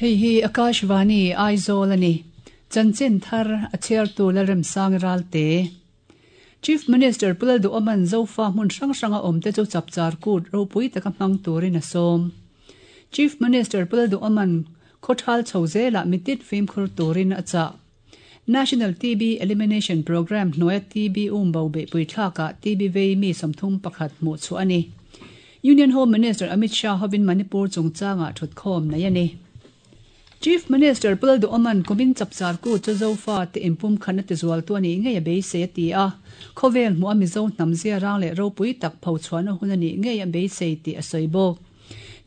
Hei hi Akashvani Aizawl a ni. Chanchin thar a chhiartu Lalremsang Ralte. Chief Minister Pu Lalduhawma'n Zofa hmun hrang hranga awmte chu chapchar kut ropui taka hmang turin a sawm. Chief Minister Pu Lalduhawma'n khawthal chho zelah mitit fimkhur turin a chah. National TB Elimination Programme hnuaia TB umbo beihpui thlakah TB vei mi 31 hmuh chhuah a ni. Union Home Minister Amit Shah hovin Manipur chungchangah thutkhawm nei a ni. Chief Minister Pu Lalduhawma'n kumin chapchar kut chu Zofa te inpum khatna tizualtu a nih ngei a beisei a ti a, khawvel hmuh a Mizo hnam zia rang leh ropui tak phochhuahna hun a nih ngei a beisei tih a sawi bawk.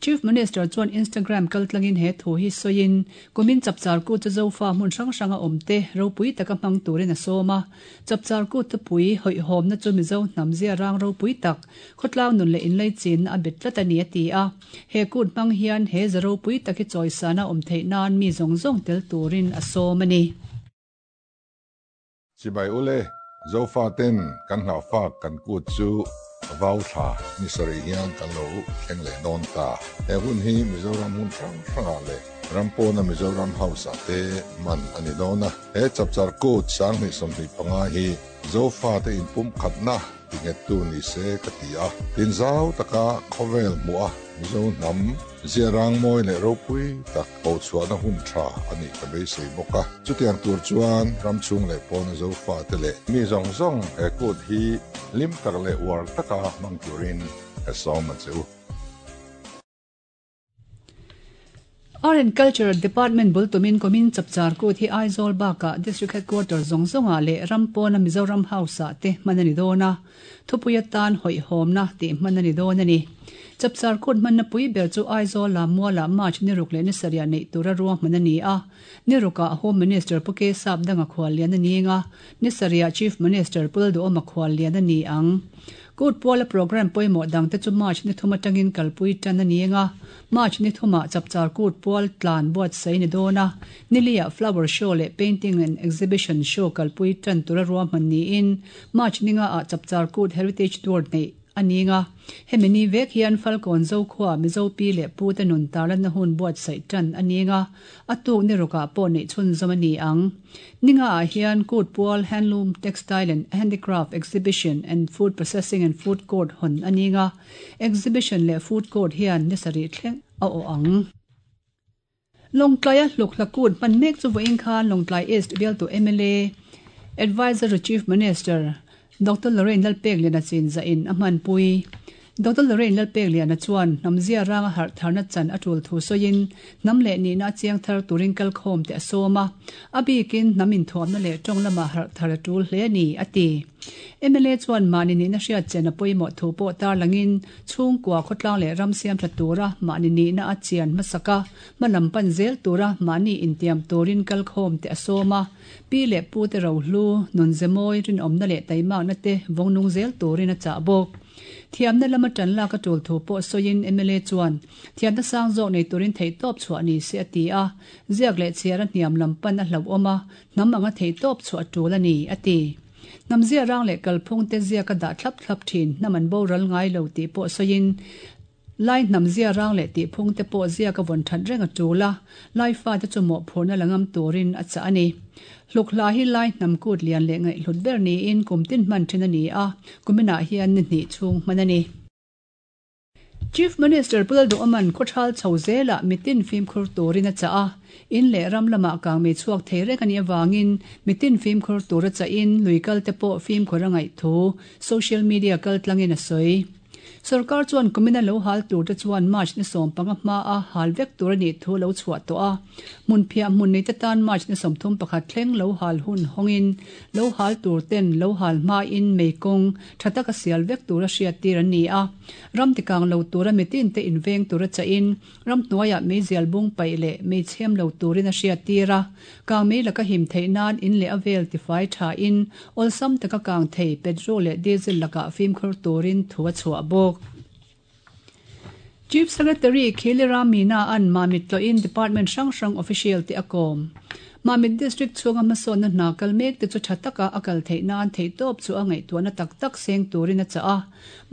Chief Minister chuan Instagram kaltlangin he thu hi sawiin, kumin chapchar kut chu Zofa hmun hrang hranga awmte ropui taka hmang turin a sawm a. Chapchar kut thupui hawihhawmna chu Mizo hnam zia rang ropui tak, khawtlang nun leh inlaichinna a bet tlat a ni a ti a. He kut hmang hian he za ropui tak hi chawisana awm theih nan mi zawng zawng tel turin a sawm a ni. Chibai ule, Zofaten kan hlauhfak kan kut chu vau thla ni sarih hian kan lo thleng leh dawn ta. He hun hi Mizoram hmun hrang hrangah leh ram pawna Mizoram House ah te man a ni dawn a. He chapchar kut 2025 hi Zofate inpumkhatna tinghettu ni se ka ti a. Tinzau taka khawvel hmuh a Mizo hnam ziarang mawi leh ropui tak Hochhuahna hun tha a nih ka beisei bawk a. Chutiang tur chuan ram chhung leh pawna Zofate leh mi zawng zawng he kut hi hlim tak leh uar taka hmang turin ka sawm a che u. Art and Culture Department bul tumin kumin chapchar kut hi Aizawl bakah District Headquarter zawng zawngah leh ram pawna Mizoram House-ah te hman a ni dawn a. Thupui atan hawihhawmna tih hman a ni dawn a ni. Chapchar kut hmanna pui ber chu Aizawl lam mualah March ni ruk leh ni sarih neih tura ruahman a ni a. Ni rukah Home Minister Pu K Sapdanga khuallian a ni eng a, ni sarihah Chief Minister Pu Lalduhawma khuallian a ni ang. Kut puala programme pawimawh dangte chu March ni thum atangin kalpui tan a ni eng a, March ni thumah Chapchar Kut pual tlan buatsaih ni dawn a, niliah Flower Show leh Painting and Exhibition Show kalpui tan tura ruahman niin March ninga ah Chapchar Kut Heritage Tour neih a ning a, hemi ni vek hian Falkawn Zokhua Mizo pi leh pu te nun tarlanna hun buatsaih tan a ning a, a tuk ni rukah pawh neih chhunzawm a ni ang. Ninga ah hian Kut Pual Handloom, Textile and Handicraft Exhibition and Food Processing and Food Court hawn a ning a, Exhibition leh Food Court hian ni sarih thleng a awh ang. Lawngtlaia hluk hla kut hman mek chu vawiin khan Lawngtlai East bialtu mla, Adviser to Chief Minister, Doctor Lorraine Lalpekliana chinzah-in a hmanpui. Doctor Lorraine Lalpekliana chuan hnamzia ranga harh tharna chan a tul thu sawiin hnam leh nihna a chiang thar turin kalkhawm te a sawm a, a bikin hnam inthuamna leh tawng lamah harh thar a tul hle a ni, a ti. Mla chuan mahni nihna hriat chen a pawimawh thu pawh tarlangin chhungkua khawtlang leh ram siam tha tura mahni nihna a chian hmasak a, hmalam pan zel tura mahni intiam turin kalkhawm te a sawm a, pi leh pu te rohlu, nunze mawi, rinawmna leh taimakna te vawngnung zel turin a chah bawk. Thiamna lama tan lak a tul thu pawh sawiin mla chuan thiamna sang zawk nei turin theihtawp chhuah ni se a ti a, ziak leh chhiar a hniam lam pan a hlauhawm a, hnam anga theihtawp chhuah a tul a ni, a ti. Hnam zia rang leh kalphung te ziak a dah thlap thlap thin, hnam an boral ngai lo tih pawh sawiin, Lai hnam zia rang leh tihphung te pawh ziak a vawn that reng a tul a, Lai fate chu mawhphurhna la ngam turin a chah a ni. Hluk hla hi Lai hnam kut lian leh ngaihhlut ber niin kum tin hman thin a ni a, kuminah hian ni hnih chhung hman a ni. Chief Minister Pu Lalduhawma'n khawthal chho zelah mitin fimkhur turin a chah a, in leh ram lamah kangmei chhuak thei reng a nih avangin mitin fimkhur tura chahin lui kalte pawh fimkhur a ngaih thu social media kaltlangin a sawi. Sorkar chuan kumina lo hal turte chuan March ni 15 hmaa hal vek tur a nih thu lo chhuah tawh a, hmunphiah hmun neite tan March ni 31 thleng lo hal hun hawngin lo hal turten lo hal hmain mei kawng tha taka sial vek tura hriattir an ni a. Ram tikang lo tura mitinte inveng tura chahin ramhnuaiah meizial bung paih leh mei chhem lo turin a hriattir a. Kang mei laka him theih nan in leh a vel tifai thain awlsam taka kang thei petrol leh diesel lakah fimkhur turin thu a chhuah bawk. Chief Secretary Khilira Meena-a'n Mamit tlawhin Department hrang hrang official te a kawm. Mamit District chhunga hmasawnna hna kal mek te chu tha taka a kal theih nan theihtawp chu a ngaihtuahna tak tak seng turin a chah a.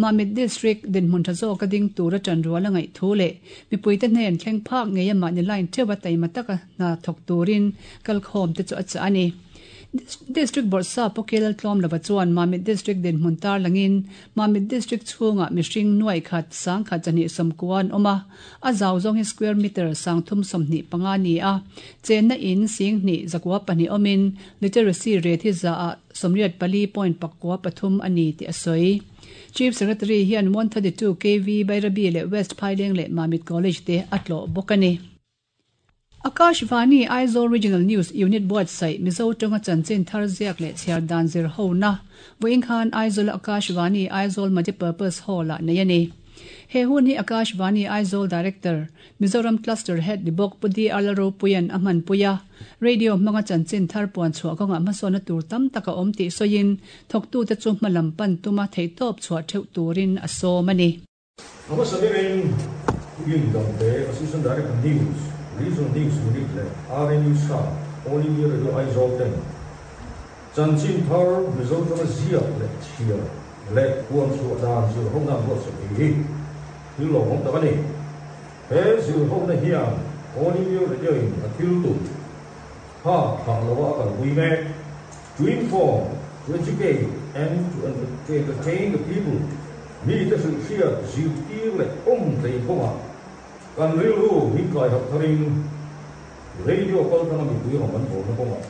Mamit District dinhmun tha zawka ding tura tanrual a ngaih thu leh mipuite hnen thleng phak ngei a mahni line theuha taima taka hna thawk turin kalkhawm te chu a chah a ni. District Bawrhsap Pu Kelal Tlawmlova chuan Mamit District dinhmun tarlangin Mamit District chhungah mihring nuaih khat sangkhat zahnih sawmkua an awm a, a zau zawng hi square meter sangthum 25 a ni a, chenna in singhnih 902 awmin literacy rate hi zaah 84.43 a ni tih a sawi. Chief Secretary hian 132 KV Bairabi leh West Phaileng leh Mamit College te a tlawh bawk a ni. Akashvani Aizawl Regional News Unit buatsaih Mizo tawnga chanchin thar ziak leh chhiar dan zir hona vawiin khan Aizawla Akashvani Aizawl Multipurpose Hall-ah nei a ni. He hun hi Akashvani Aizawl Director, Mizoram Cluster Head ni bawk Pu DR Lalropuia'n a hmanpui a, radio hmanga chanchin thar puan chhuah kawngah hmasawnna tur tam tak a awm tih sawiin thawktute chu hmalam pan tuma theihtawp chhuah theuh turin a sawm a ni. Hmasa berin Ugin Dangte, Assistant Director News, Regional News Unit leh RNU staff, All India Radio Aizawl ten chanchin thar Mizo tanga ziak leh chhiar leh puan chhuah dan zirhona an buatsaih hi thil lawmawm tak a ni. He zirhona hian All India Radio in a thil tum kha thlah loa a kalpui mek, to inform, to educate and to entertain the people. Mite hrilh hriat zirtir leh awm tlei kawngah kan rilru min kai harh tharin radio kal tanga mipui rawng kan bawlna kawngah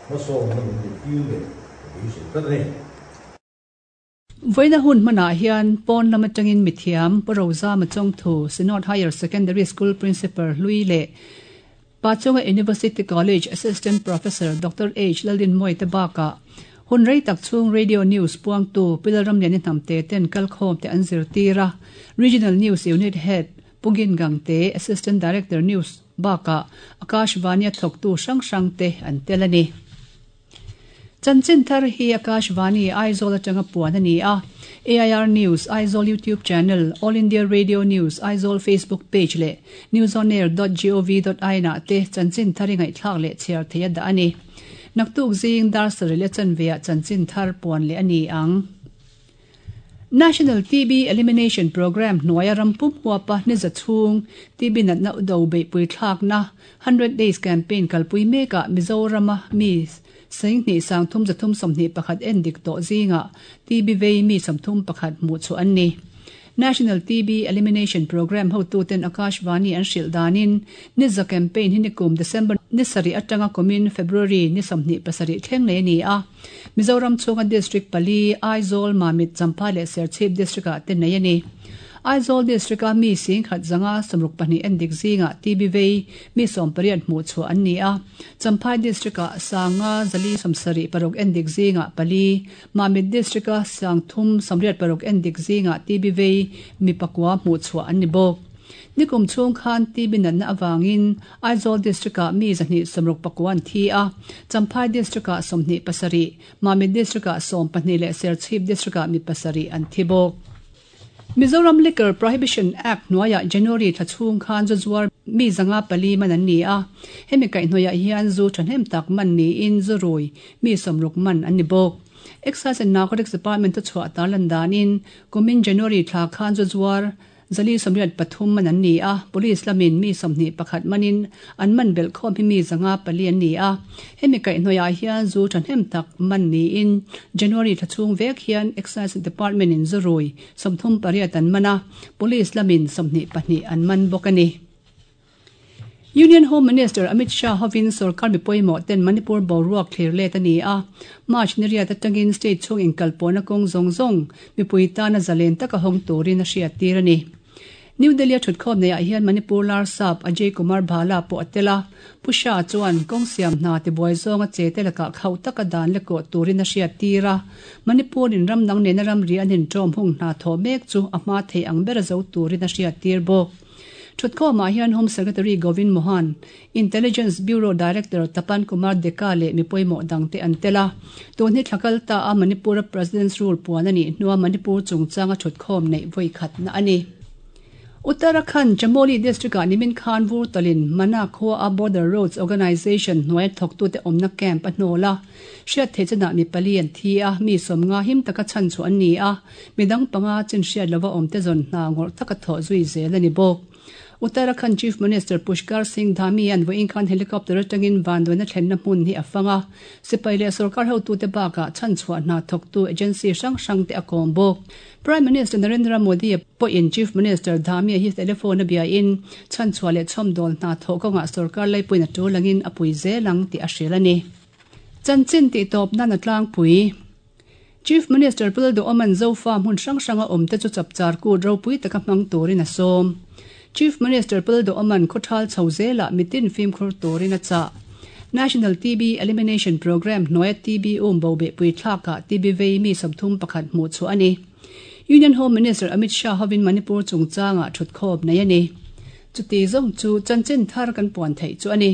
hmasawnna min tirtir leh ka beisei tlat a ni. Vawiina hun hmanah hian pawn lam atangin mithiam Pu Rozama Chawngthu, Synod Higher Secondary School Principal hlui leh Pachonga University College Assistant Professor Doctor H Lalrinmawii te bakah hun rei tak chhung Radio News puangtu Pi Lalramliani Hnamte ten kalkhawm te an zirtir a, Regional News Unit Head Pu Gin Gangte, Assistant Director News bakah Akashvani a thawktu hrang hrang te an tel a ni. Chanchin thar hi Akashvani Aizawl atanga puan a ni a, AIR News Aizawl YouTube Channel, All India Radio News Aizawl Facebook Page leh newsonair dot gov dot in ah te chanchin thar i ngaihthlak leh chhiar theih a dah a ni. Naktuk zing dar sarih leh chanve ah chanchin thar puan leh a ni ang. National TB Elimination Programme hnuaia ram pum huapa niza chhung TB natna do beihpui thlakna Hundred Days Campaign kalpui mekah Mizorama mi Sainghnih sangthum zathum 21 en dik tawh zingah TB vei mi 31 hmuh chhuah an ni. National TB Elimination Programme hotuten Akashvani an hrilh danin Niza campaign hi nikum December ni sarih atanga kumin February ni 27 thleng nei a ni a. Mizoram chhunga District pali, Aizawl, Mamit, Champhai leh Serchhip District-ah te nei a ni. Aizawl District-a mi singkhat zanga 62 en dik zingah TB vei mi 18 hmuh chhuah an ni a. Champhai District-ah sanga zali 76 en dik zingah pali, Mamit District-a sangthum 86 en dik zingah TB vei mi pakua hmuh chhuah an ni bawk. Nikum chhung khan TB natna avangin Aizawl District-ah mi 269 an thi a, Champhai District-ah 27, Mamit District-ah 12 leh Serchhip District-ah mi pasarih an thi bawk. Mizoram Liquor Prohibition Act hnuaiah January thla chhung khan zu zuar mi 504 man an ni a, hemi kaihhnawihah hian zu thahnem tak man niin zu rui mi 60 man an ni bawk. Excise and Narcotics Department-a chhuah tarlan danin kumin January thla khan zu zuar 483 man an ni a, Police lamin mi 21 manin an man belh khawm hi mi 504 an ni a. Hemi kaihhnawihah hian zu thahnem tak man niin January thla chhung vek hian Excise Department-in zu rui 38 an man a, Police lamin 22 an man bawk a ni. Union Home Minister Amit Shah hovin sorkar mi pawimawh ten Manipur boruak thlir let a ni a, March ni riat atangin state chhung inkalpawhna kawng zawng zawng mipui tana zalen taka hawng turin a hriattir a ni. New Delhi-a thutkhawm neihah hian Manipur Larsap Ajay Kumar Bhalla pawh a tel a, Pu Shah chuan kawng siam hna tibuai zawnga che te lakah khauh taka dan la kawh turin a hriattir a, Manipur-in ram dang nena ramri an inṭawm hung hna thawh mek chu a hma theih ang bera zo turin a hriattir bawk. Thutkhawmah hian Home Secretary Govind Mohan, Intelligence Bureau Director Tapan Kumar Deka leh mi pawimawh dangte an tel a. Tun hi thla kal ta a Manipur-a President's Rule puan a nih hnua Manipur chungchanga thutkhawm neih vawi khatna a ni. Uttarakhand Chamoli District-ah nimin khan vur tawlhin Mana khua a Border Roads Organisation hnuaia thawktute awmna camp a hnawl a. Hriat theih chenah mi pali an thi a, mi sawmnga him taka chhan chhuah an ni a, midang panga chin hriat lova awmte zawn hna ngawrh taka thawh zui zel a ni bawk. Uttarakhand Chief Minister Pushkar Singh Dhami an vawiin khan helicopter atangin vanduaina thlenna hmun hi a fang a, sipai leh sorkar hotute bakah chhanchhuah hna thawktu agency hrang hrangte a kawm bawk. Prime Minister Narendra Modi pawhin Chief Minister Dhami hi telephone a biain chhanchhuah leh chhawmdawl hna thawh kawngah sorkar laipuiin a tul angin a pui zel ang tih a hrilh a ni. Chanchin tihtawp nan a tlangpui. Chief Minister Pu Lalduhawma'n Zofa hmun hrang hranga awmte chu chapchar kut ropui taka hmang turin a sawm. Chief Minister Pu Lalduhawma'n khawthal chho zelah mitin fimkhur turin a chah. National TB Elimination Programme hnuaia TB um bo behpui thlakah TB vei mi 31 hmuh chhuah a ni. Union Home Minister Amit Shah hovin Manipur chungchangah thutkhawp nei a ni. Chuti zawng chu chanchin thar kan puan theih chu a ni.